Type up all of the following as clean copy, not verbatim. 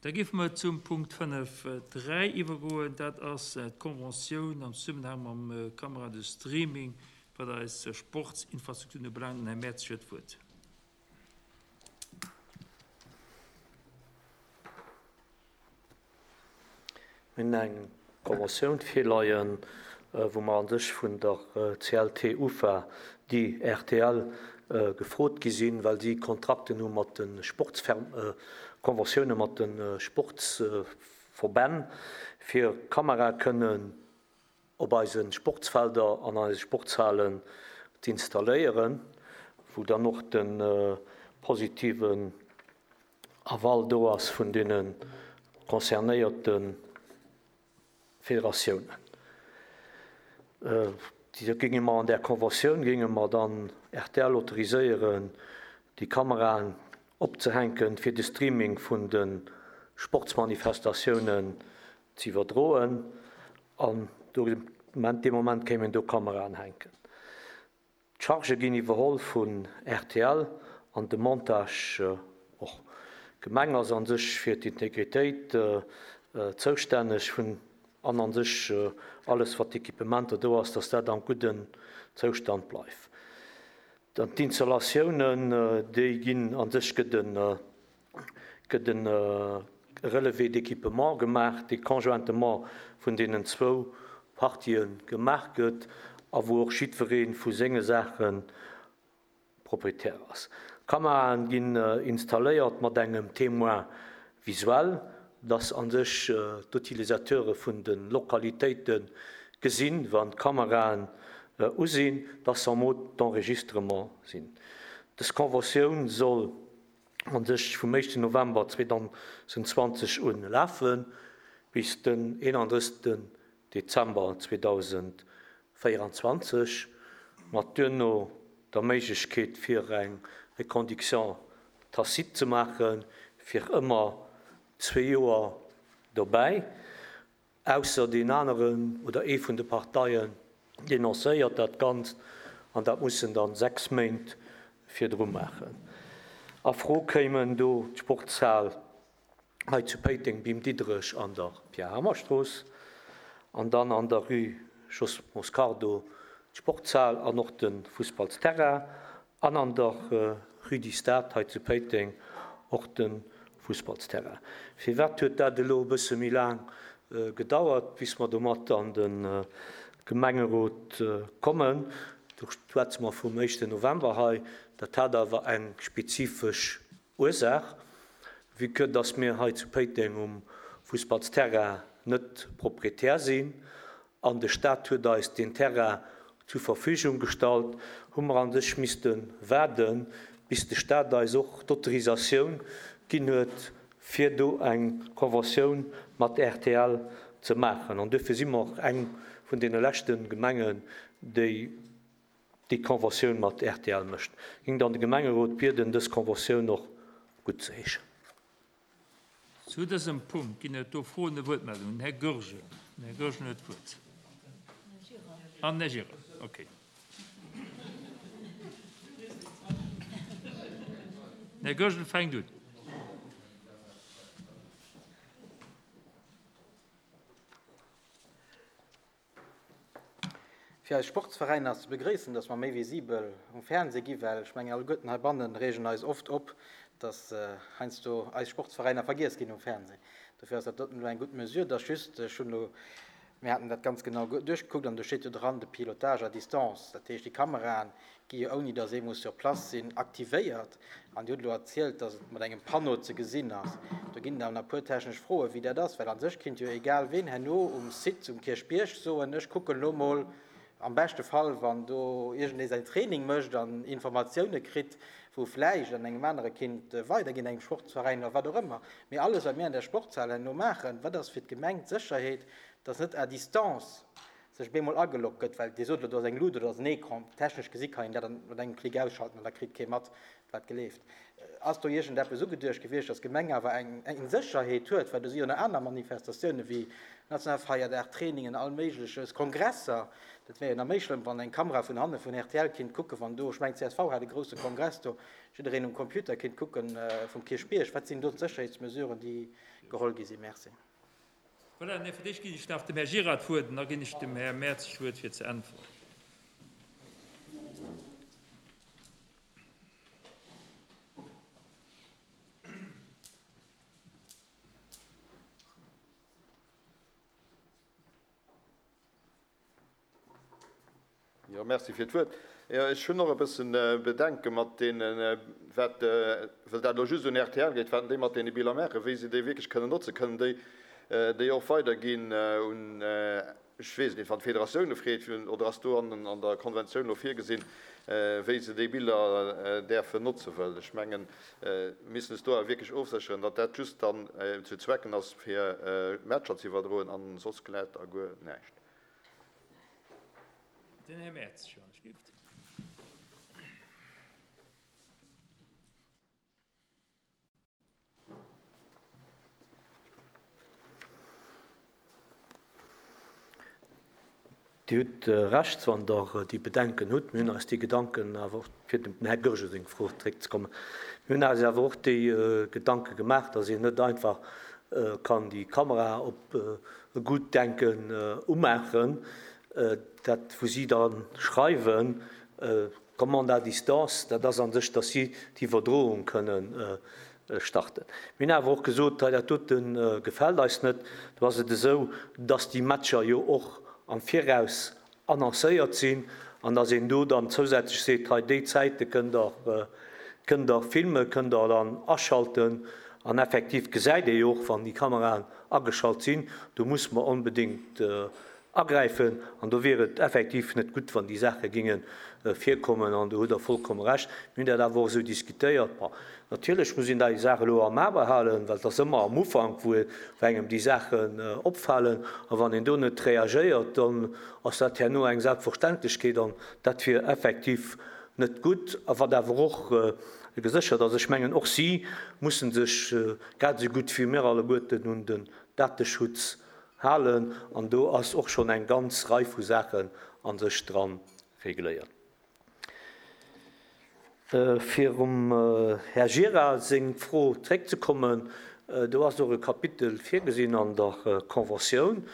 Da géife mer zum Punkt 5, 3 iwwergoen. Dat ass d'Conventioun am Zesummenhang mam Kamera de Streaming, wat eis Sportsinfrastrukturen ubelaangt. Den Här Mertz huet d'Wuert. Mir hunn eng Conventioun virleien, wou mer a sech vun der CLT UFA, déi rtl, gefrot gi sinn, well si Kontrakten hu mat de Sportsfer-, Conventioune mat de Sportsverbänn, fir Kamerae kënnen op eise Sportsfelder an eise Sportshalen z'installéieren, wou dann och de positiven Aval do ass vun deene concernéierte Federatiounen. Da géinge mer an där Conventioun géinge mer dann rtl autoriséieren, déi Kameraen opzehänken, fir de Streaming vun de Sportsmanifestatiounen ze iwwerdroen. An do, dee Moment kéim een do Kameraen hänken. D'Chargë ginn iwwerholl vun rtl an de Montage och. D'Gemeng ass an sech fir d'Integritéit zoustänneg vun an an sech alles wat d'Equipementer do ass, dass dat am gudden Zoustand bleift. Dann d'Installatiounen, déi ginn an sech gëtt e gëtt e Relevé d'équipement gemaach, dee conjointement vun deenen zwou Partië gemaach gëtt a wou och jiddweree vu senge Saache Proprietär ass. D'Kameraen ginn installéiert mat engem Témoin visuel, dass a sech d'Utilisateure vun de Lokalitéite gesinn, wann d'Kameraen u sinn, dass se en mode d'enregistrement sinn. Dës Conventioun soll an sech vum éischten November 2020 un lafen, bis den 31 Dezember 2024, mat duerno der Méiglechkeet fir eng Reconduction tacite ze maachen, fir ëmmer zwee Joer dobäi. Ausser deen aneren oder ee vun de Parteien denoncéiert dat Ganzt, an dat muss en dann 6 Méint virdru maachen. A Fro kéimen do d'Sportshal hei zu Péiteng, Bim Diderech an der Pierre-Hamer-Strooss an dann an der Rue Jos Moscardo d'Sportshal an och de Fussballsterrain An an der Rue du Stade hei zu Péiteng och de Fussballsterrain. Firwat huet dat elo e bësse méi laang gedauert, bis mer domat an de Gemengerot kommen? Do schwätze mer vum éischten November hei. Dat hat awer eng spezifesch Ursaach, vue que dass mir hei zu Péiteng um Fussballsterrain net Proprietär sinn an de Stat huet eis deen Terrain zur Verfügung gestallt, hu mer a sech misste waarden, bis de Stat eis och d'Autorisatioun ginn huet, fir do eng Conventioun mat rtl ze maachen. An duerfir si mer och eng vun deene leschte Gemengen, déi déi Conventioun mat rtl mécht. Géing dann de Gemengerot bieden, dës Conventioun och guttzeheeschen. Zu dësem Punkt ginn et do Froen a Wuertmeldungen. Den Här Goergen. Den Här Goergen huet d'Wuert. An den Här Gira, okay. Den Här Goergen fänkt un. Fir eis Sportsveräiner ass ze begréissen, dass mer méi visibel um Fernseh gi well ech mengen alleguerten heibannen reegen eis oft op, dass heiansdo eis Sportsveräiner vergiess ginn um Fernseh. Dofir ass dat doten elo eng gutt Mesure. Et ass just, ech hunn elo, mir haten dat ganz genau duerchgekuckt an do steet jo dran, de Pilotage à distance, dat heescht déi Kameraen gi jo ouni datt ee muss sur place sinn, aktivéiert. An Dir hutt elo erzielt, datt et mat engem Panneau ze gesinn ass. Do ginn et awer nach e puer technesch Froen, wéi dat ass, well a sech kinnt jo egal ween herno um Site um Kierchbierg soen, ech kucken elo mol, am beschte Fall wann do iergendee säin Training mécht an Informatioune kritt, wou vläicht an engem anere kinnt weiderginn, engem Sportsveräin oder wat och ëmmer. Mee alles, wat mir an där Sportshal herno maachen, wat ass fir d'Gemeng d'Sécherheet, datt net à distance sech bemol ageloggt gëtt, well Dir sot elo, do ass eng Lut oder do ass en Ecran, technesch gesi kann een dat mat engem Klick ausschalten an da kritt kee mat, wat geleeft. Ass do iergendeppes ugeduecht gewiescht, dass d'Gemeng awer eng Sécherheet huet, well do si jo nach aner Manifestatioune wéi nationale Feierdag, Trainingen, all Méigleches, Kongresser. Dat wär jo nach méi schlëmm, wann eng Kamera vun hanne vun rtl kinnt kucken, wann do, ech mengen csv hat e grousse Kongress do, jiddereen um Computer kinnt kucken vum Kierchbierg. Wat sinn do d'Sécherheetsmesuren, déi geholl gi sinn? Merci. Voilà, nee, fir d'éischt ginn ech nach dem Här Gira d'Wuert an da ginn ech dem Här Merz d'Wuert fir ze äntweren. Jo, merci fir d'Wuert. Jo, ech hunn och e bëssen Bedenke mat deenen, wat, well dat elo just un rtl geet, wat déi mat deene Biller maachen, wéi se déi wierklech kënnen notzen. Kënnen déi déi och weiderginn un, ech weess et net, wann d'Federatioune freet, oder ass do an der Konventioun elo virgesinn, wéi se déi Biller däerfen notze wëll? Ech mengen, mir müssen es do awer wierklech ofsécheren, datt dat just dann zu Zwecken ass, fir Matcher ze iwwerdroen an soss glätt a guer näischt. Den Här Merz, wann ech gift. Dir hutt Recht, wann Der déi Bedenken hutt. Mir hunn eis déi Gedanken awer och, fir dem Här Goergen seng Fro zréckzekommen, mir hunn eis awer och déi Gedanke gemaach, dass een net einfach kann déi Kamera op e Gutdenken umaachen, dat wou si da schreiwen, Commande à distance, dat ass a sech, dass si d'Iwwerdroung kënnen starten. Mir hunn awer och gesot, hei dat dote gefält eis net. Do ass et esou, dass déi Matcher jo och am Viraus annoncéiert sinn an dass een do dann zousätzlech seet, hei déi Zäite kënnt Der, kënnt Der filmen, kënnt Der dann aschalten. An effektiv gesäit ee jo och, wann déi Kameraen ageschalt sinn, do muss mer onbedéngt Agräifen, an do wier et effektiv net gutt, wann déi Saache géinge virkommen, an do hutt Der vollkomme Recht. Mir hunn dat awer och esou diskutéiert. Bon, natierlech muss een déi Saach elo am A behalen, well et ass ëmmer am Ufank, wou engem déi Saachen opfalen, a wann een do net reagéiert, dann ass dat herno eng Selbstverständlechkeet, an dat wier effektiv net gutt. A wat awer och geséchert ass, ech mengen, och si musse sech grad esou gutt wéi mir alleguerten un den Dateschutz Halen, an do ass och schonn eng ganz Rei vu Saachen a sech dra regléiert. Fir um Här Gira seng Fro zréckzekommen, do ass och e Kapitel virgesinn an der Conventioun,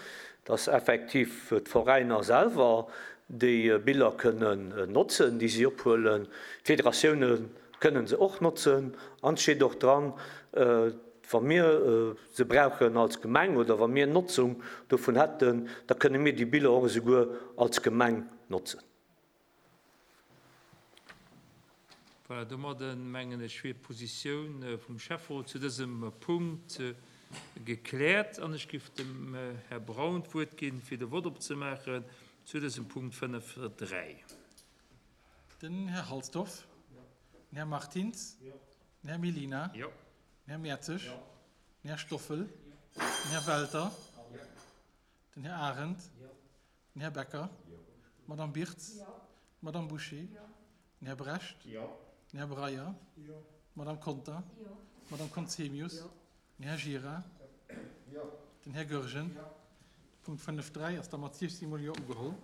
dass effektiv d'Veräiner selwer déi Biller kënnen notzen, déi si ophuelen. D'Federatioune kënnen se och notzen an et steet och dran, Wa mir se brauchen als Gemeng oder wa mir Notzung dovun hätten, da kënne mir déi Biller och esouguer als Gemeng notzen. Voilà, domadden, mengen ech, wier d'Positioun vum Schäfferot zu dësem Punkt gekläert an ech géif dem Här Braun d'Wuert ginn, fir de Vott opzemaachen zu dësem Punkt 5.3. Den Här Halsdorf. Den Här Martins. Den Här Mellina. Den Här Mertzig. Den Här Stoffel. Den Här Welter. Den Här Arendt. Den Här Becker. D'Madame Birtz. D'Madame Bouché. Den Här Brecht. Den Här Breyer. D'Madame Conter. D'Madame Conzemius. Den Här Gira. Den Här Goergen. De Punkt 5.3 ass da mat 16 mol Jo ugeholl.